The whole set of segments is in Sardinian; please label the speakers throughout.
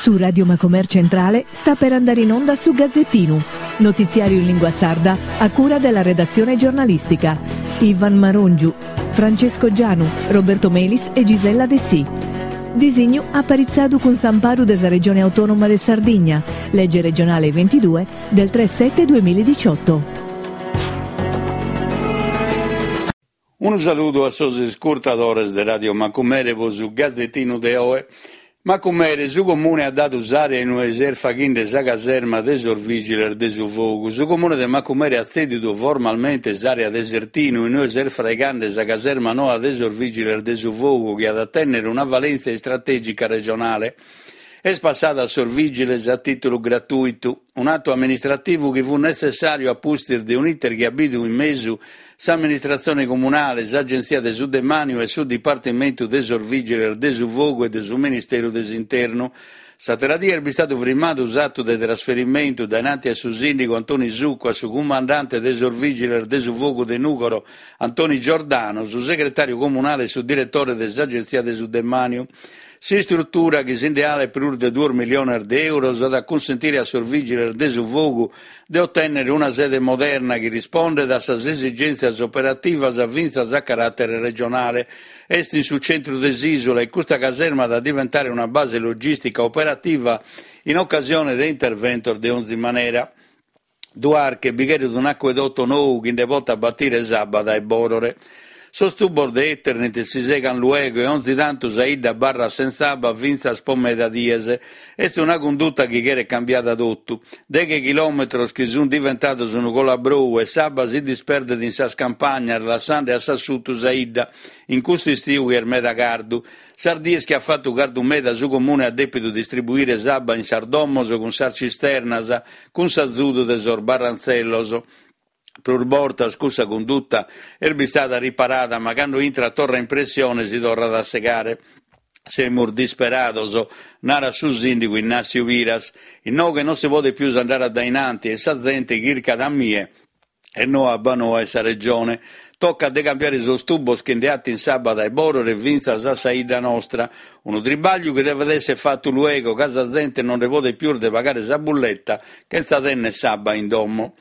Speaker 1: Su Radio Macomer Centrale sta per andare in onda su Gazzettinu, notiziario in lingua sarda a cura della redazione giornalistica. Ivan Marongiu, Francesco Gianu, Roberto Melis e Gisella Dessì. Disignu aparitzadu cun s'amparu de sa Regione Autonoma de Sardigna, lege regionale 22 del 3 7 2018.
Speaker 2: Unu saludu a sos iscurtadores de Radio Macumere pro su Gazetinu de oe. Macumere, su Comune at dadu s'àrea in ue s'est faghende sa caserma de sos Vìgiles de su Fogu. Su Comune de Macumere at tzèdidu formalmente s'àrea de Sertinu in ue s'est fraigande sa caserma noa de sos Vìgiles de su Fogu chi at a tènnere una valèntzia istratègica regionale. Est passada a sos vìgiles a tìtulu gratùitu, un'atu amministrativu chi fut netzessàriu a pustis de un'iter chi at bidu in mesu s'amministratzione comunale, s'Agentzia de su Demàniu e su Dipartimentu de sos Vìgiles de su Fogu e de su Ministeru de s'Internu. S'àtera die est bistadu frimmadu s'atu de trasferimentu dainanti a su sìndigu Antoni Succu, a su cumandante de sos Vìgiles de su Fogu de Nùgoro Antoni Giordano, su segretàriu comunale e su diretore de s'Agentzia de su Demàniu. S'istrutura, chi si nde 'alet prus de duos milliones de euros, at a cunsentire a sos vìgiles de su fogu de otènnere una sede moderna chi rispondet a sas esigèntzias operativas fintzas a caràtere regionale. Est in su centru de s'ìsula e custa caserma at a diventare una base logìstica operativa in ocasione de interventos de onzi manera. Duarche bi cheret un'acuedoto nou chi nde potat batire s'abba dae Bòrore. Sos tubos de Eternit si segan luego e onzi tantu sa 'idda abarrat sentza abba fintzas po meda dies. Est una cunduta chi cheret cambiada totu. Deghe chilòmetros chi sunt diventados unu colabrou e s'abba si disperdet in sas campagnas lassande a s'assutu sa 'idda in custu istiu chi est meda cardu. Sas dies chi at fatu cardu meda su Comune at dèpidu distribuire s'abba in sas domos cun sas cisternas, cun s'azudu de sos barrantzellos. Prus bortas cussa cunduta est bistada riparada ma cando intrat torra in pressione si torrat a segare. Semus disperados, narat su sìndigu Innassiu Piras. Inoghe non si podet pius andare a dainanti e sa zente chircat a mie e no a Abbanoa e sa Regione. Tocat de cambiare sos tubos chi nde 'atin s'abba dae Bòrore fintzas a sa 'idda nostra. Unu tribagliu chi devet esser fatu luego ca sa zente non nde podet pius de pagare sa bulletta chentza tenner s'abba in domo.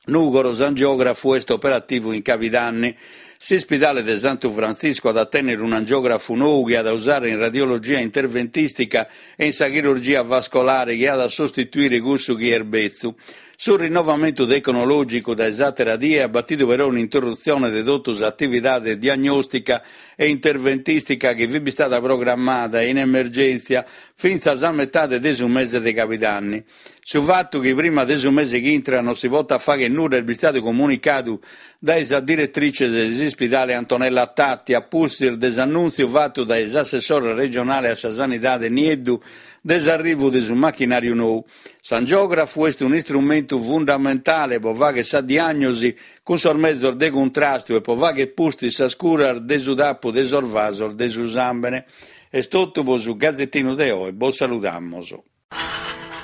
Speaker 2: Nùgoro, s'angiografu est operativu in cabidanni. S'ispidale de Santu Frantziscu at a tènnere un'angiògrafu nou chi at a usare in radiologia interventistica e in sa chirurgia vascolare chi at a sostituire cussu chi est betzu. Su rinnovamentu tecnològicu dae s'àtera die at batidu però un'interrutzione de totu s'atividade diagnòstica e interventìstica chi fit bistada programmada in emergèntzia fintzas a metade de su mese de cabidanni. Su fatu chi prima de su mese chi intrat non si potat fàghere nudda est bistadu comunicadu dae sa diretrice de s'ispidale Antonella Tatti a pustis de s'annùntziu fatu dae s'assessore regionale a sa Sanidade Nieddu de s'arrivu de su machinàriu nou. S'angiògrafu est un'istrumentu fundamentale pro fàghere sa diàgnosi cun sos mezos de cuntrastu e pro fàghere pustis sas curas de su tapu de sos vasos de su sàmbene. Est totu pro su Gazetinu de oe, bos saludamus.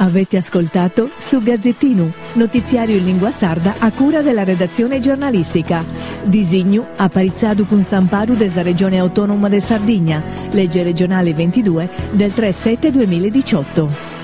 Speaker 1: Avete ascoltato Su Gazzettinu, notiziario in lingua sarda a cura della redazione giornalistica. Disignu aparitzadu cun s'amparu de sa Regione Autonoma de Sardigna, legge regionale 22 del 3 7 2018.